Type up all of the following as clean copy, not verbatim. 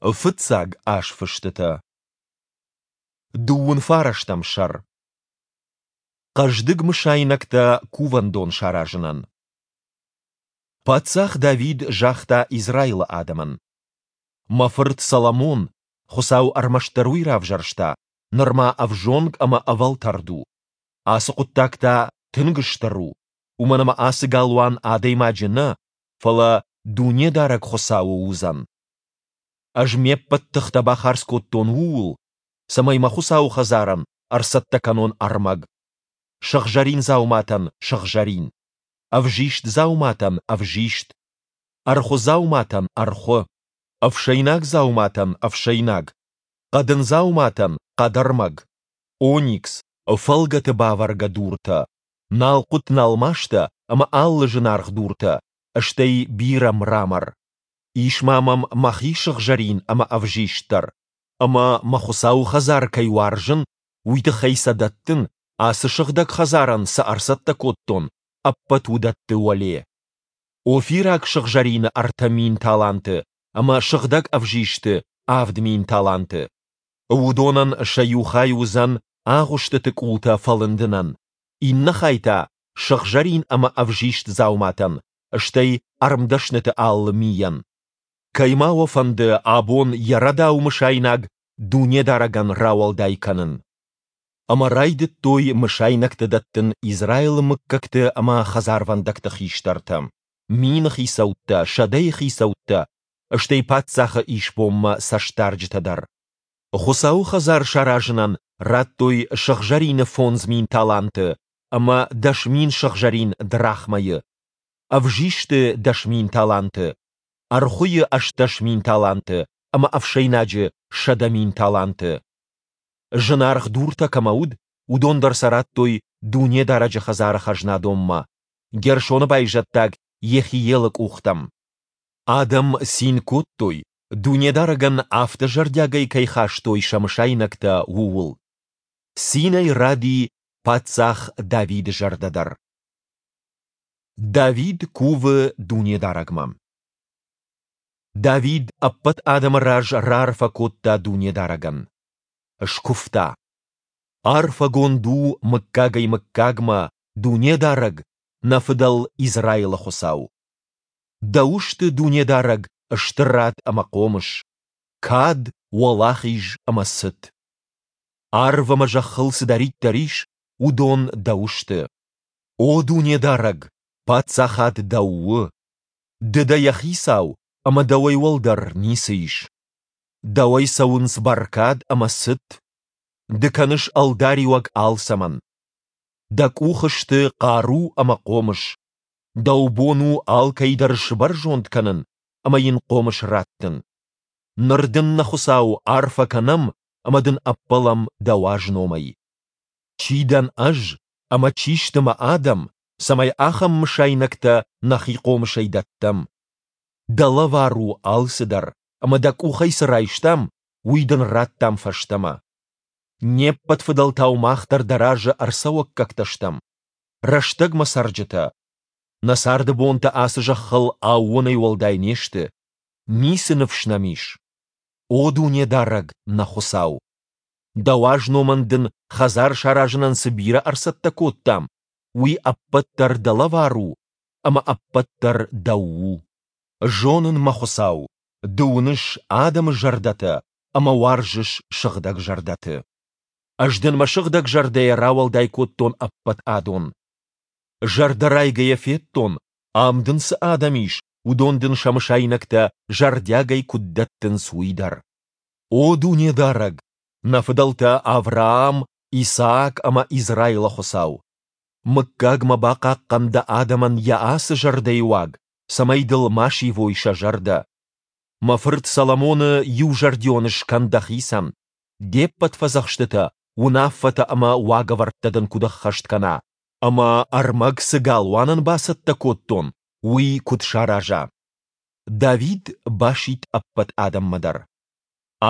Фыццаг азфыстытӕ. Дыууын фарӕстӕм сӕр. Хъӕздыг мысайнӕгтӕ кувӕндон саразынӕн. Паддзах Давид загъта Израилы адӕмӕн: Мӕ фырт Соломон, Хуыцау ӕрмӕстдӕр уый равзӕрста, нырма ӕвзонг ӕмӕ ӕвӕлтӕрд у. Ацы хъуыддаг та тынг стыр у, уымӕн ӕмӕ ацы галуан адӕймаджы нӕ, фӕлӕ Дунедарӕг Хуыцауы уыдзӕн. Ӕз ме ппӕт тыхтӕ бахардз кодтон ууыл, цӕмӕй мӕ Хуыцауы хӕдзарӕн ӕрцӕттӕ кӕнон ӕрмӕг. Сыгъзӕрин дзауматӕн – сыгъзӕрин, ӕвзист дзауматӕн – ӕвзист, ӕрхуы дзауматӕн – ӕрхуы, ӕфсӕйнаг дзауматӕн – ӕфсӕйнаг, хъӕдын дзауматӕн – хъӕдӕрмӕг, оникс, фӕлгӕты бавӕргӕ дуртӕ, налхъуыт-налмастӕ ӕмӕ алы зынаргъ дуртӕ, стӕй бирӕ мрамор. Ис ма мӕм мӕхи сыгъзӕрин ӕмӕ ӕвзист дӕр, ӕмӕ мӕ Хуыцауы хӕдзар кӕй уарзын, уый тыххӕй сӕ дӕттын, ацы сыгъдӕг хӕдзарӕн цы ӕрцӕттӕ кодтон, ӕппӕт уыдӕтты уӕле. Офираг сыгъзӕрины 3000 таланты ӕмӕ сыгъдӕг ӕвзисты 7000 таланты. Уыдонӕн сӕ иу хай уыдзӕн агъуыстыты къултӕ фӕлындынӕн, иннӕ хай та сыгъзӕрин ӕмӕ ӕвзист дзауматӕн, стӕй ӕрмдӕсныты алы мийӕн. Кӕй ма уӕ фӕнды абон йӕ рӕдау мысайнаг Дунедарӕгӕн рауӕлдай кӕнын? Ӕмӕ райдыдтой мысайнӕгтӕ дӕттын Израилы мыггӕгты ӕмӕ хӕдзарвӕндӕгты хистӕртӕ, мины хицӕуттӕ, сӕдӕйы хицӕуттӕ, стӕй паддзахы исбонмӕ цӕстдарджытӕ дӕр. Хуыцауы хӕдзар саразынӕн радтой сыгъзӕрины 5000 таланты ӕмӕ 10,000 сыгъзӕрин драхмӕйы, ӕвзисты 10,000 таланты, ӕрхуыйы 18 000 таланты ӕмӕ ӕфсӕйнаджы 100 000 таланты. Зынаргъ дуртӕ кӕмӕ уыд, уыдон дӕр сӕ радтой Дунедарӕджы хӕдзары хӕзнадонмӕ, Герсоны байзӕддаг Йехиелы къухтӕм. Адӕм цин кодтой, Дунедарӕгӕн афтӕ зӕрдиагӕй кӕй хастой сӕ мысайнӕгтӕ, ууыл. Цинӕй ради паддзах Давиды зӕрдӕ дӕр. Давид кувы Дунедарӕгмӕ. Давид ӕппӕт адӕмы раз раарфӕ кодта Дунедарӕгӕн. Скуывта: Арфӕгонд у мыггагӕй-мыггагмӕ Дунедарӕг, нӕ фыдӕл Израилы Хуыцау! Дӕу сты, Дунедарӕг, стырад ӕмӕ хъомыс, кад, уӕлахиз ӕмӕ цыт. Арв ӕмӕ зӕххыл цыдӕриддӕр ис, уыдон дӕу сты. О Дунедарӕг, паддзахад дӕу у! Ды дӕ йӕ хицау, ӕмӕ дӕуӕй уӕлдӕр ницы ис. Дӕуӕй цӕуынц бӕркад ӕмӕ цыт. Ды кӕныс ӕлдариуӕг алцӕмӕн. Дӕ къухы сты хъару ӕмӕ хъомыс. Дӕу бон у алкӕй дӕр сбӕрзонд кӕнын ӕмӕ йын хъомыс раттын. Ныр дын, нӕ Хуыцау, арфӕ кӕнӕм ӕмӕ дын ӕппӕлӕм дӕ уаз номӕй. Чи дӕн ӕз ӕмӕ чи сты мӕ адӕм, цӕмӕй ахӕм мысайнӕгтӕ нӕхи хъомысӕй дӕттӕм? Дӕ лӕвар у алцыдӕр, ӕмӕ дӕ къухӕй цы райстам, уый дын радтам фӕстӕмӕ. Не ппӕт фыдӕлтау мах дӕр дӕ разы ӕрцӕуӕггӕгтӕ стӕм, рӕстӕгмӕ цӕрджытӕ. Нӕ царды бонтӕ ацы зӕххыл аууонӕй уӕлдай не сты, ницы ныфс нӕм ис. О Дунедарӕг, нӕ Хуыцау! Дӕ уаз номӕн дын хӕдзар саразынӕн цы бирӕ ӕрцӕттӕ кодтам, уый ӕппӕт дӕр дӕ лӕвар у ӕмӕ ӕппӕт дӕр дӕу у. Зонын, мӕ Хуыцау, ды уыныс адӕмы зӕрдӕтӕ ӕмӕ уарзыс сыгъдӕг зӕрдӕты. Ӕз дын мӕ сыгъдӕг зӕрдӕйӕ рауӕлдай кодтон ӕппӕт адон. Зӕрдӕрайгӕйӕ федтон, ам дын цы адӕм ис, уыдон дын сӕ мысайнӕгтӕ зӕрдиагӕй куыд дӕттынц, уый дӕр. О Дунедарӕг, нӕ фыдӕлтӕ Авраам, Исаак ӕмӕ Израилы Хуыцау! Мыггагмӕ бахъахъхъӕн дӕ адӕмӕн йӕ ацы зӕрдӕйы уаг, цӕмӕй дыл ма сивой сӕ зӕрдӕ. Мӕ фырт Соломоны иузӕрдион скӕн дӕхицӕн, де ппӕт фӕдзӕхстытӕ, уынаффӕтӕ ӕмӕ уагӕвӕрдтӕ дын куыд ӕххӕст кӕна, ӕмӕ ӕрмӕг цы галуанӕн бацӕттӕ кодтон, уый куыд сараза. Давид басидт ӕппӕт адӕммӕ дӕр: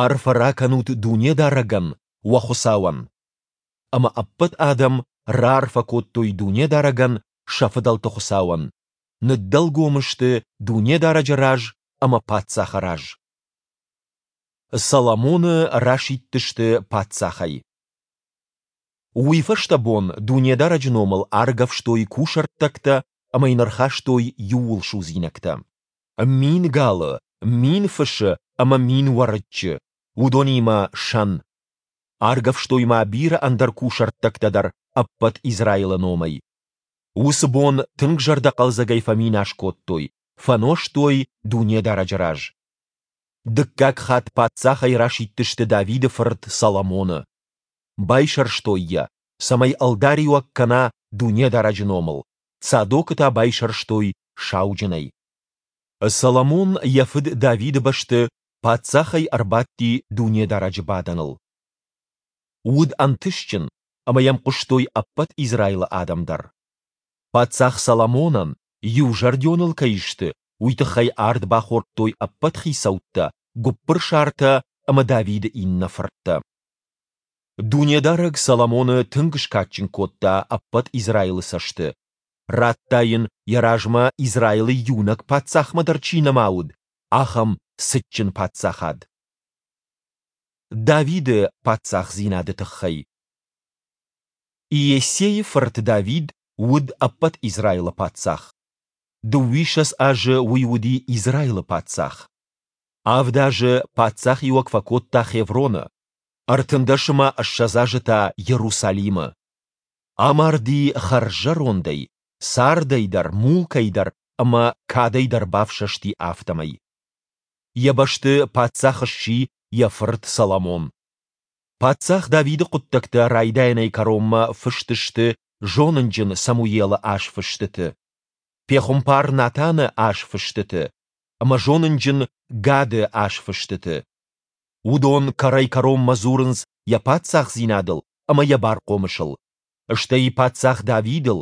Арфӕ ракӕнут Дунедарӕгӕн, уӕ Хуыцауӕн! Ӕмӕ ӕппӕт адӕм раарфӕ кодтой Дунедарӕгӕн, сӕ фыдӕлты Хуыцауӕн, ныддӕлгом сты Дунедарӕджы раз ӕмӕ паддзахы раз. Соломоны расидтысты паддзахӕй. Уый фӕстӕ бон Дунедарӕджы номыл аргӕвстой кусӕрттӕгтӕ ӕмӕ йын ӕрхастой иууылсудзинӕгтӕ. 1000 галы, 1000 фысы ӕмӕ 1000 уӕрыччы, уыдонимӕ сӕн. Аргӕвстой ма бирӕ ӕндӕр кусӕрттӕгтӕ дӕр ӕппӕт Израилы номӕй. Уыцы бон тынг зӕрдӕхъӕлдзӕгӕй фӕминас кодтой, фӕнозтой Дунедарӕджы раз. Дыккаг хатт паддзахӕй расидтысты Давиды фырт Соломоны. Байсӕрстой йӕ, цӕмӕй ӕлдариуӕг кӕна Дунедарӕджы номыл, Цадокы та байсӕрстой сауджынӕй. Соломон йӕ фыд Давиды бӕсты паддзахӕй ӕрбадти Дунедарӕджы бадӕныл. Уыд ӕнтыстджын, ӕмӕ йӕм хъуыстой ӕппӕт Израилы адӕм дӕр. Паддзах Соломонӕн, иузӕрдион ыл кӕй сты, уый тыххӕй ард бахордтой ӕппӕт хицӕуттӕ, гуыппырсартӕ ӕмӕ Давиды иннӕ фырттӕ. Дунедарӕг Соломоны тынг скадджын кодта ӕппӕт Израилы цӕсты. Радта йын, йӕ размӕ Израилы иунӕг паддзахмӕ дӕр чи нӕма уыд, ахӕм цытджын паддзахад. Давиды паддзахдзинады тыххӕй. Иессейы фырт Давид уыд ӕппӕт Израилы паддзах. Дыууиссӕдз азы уый уыди Израилы паддзах. Авд азы паддзахиуӕг фӕкодта Хевроны, 13 ӕмӕ 20 азы та Иерусалимы. Амарди хӕрззӕрондӕй, цардӕй дӕр, мулкӕй дӕр ӕмӕ кадӕй дӕр бафсӕсти афтӕмӕй. Йӕ бӕсты паддзах сси йӕ фырт Соломон. Паддзах Давиды хъуыддӕгтӕ райдайӕнӕй кӕронмӕ фыст сты зонынджын Самуелы азфыстыты, пехуымпар Натаны азфыстыты ӕмӕ зонынджын Гады азфыстыты. Уыдон кӕрӕй-кӕронмӕ дзурынц йӕ паддзахдзинадыл ӕмӕ йӕ бархъомысыл, стӕй паддзах Давидыл,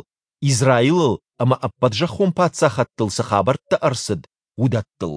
Израилыл ӕмӕ ӕппӕт зӕххон паддзахӕдтыл цы хабӕрттӕ ӕрцыд, уыдӕттыл.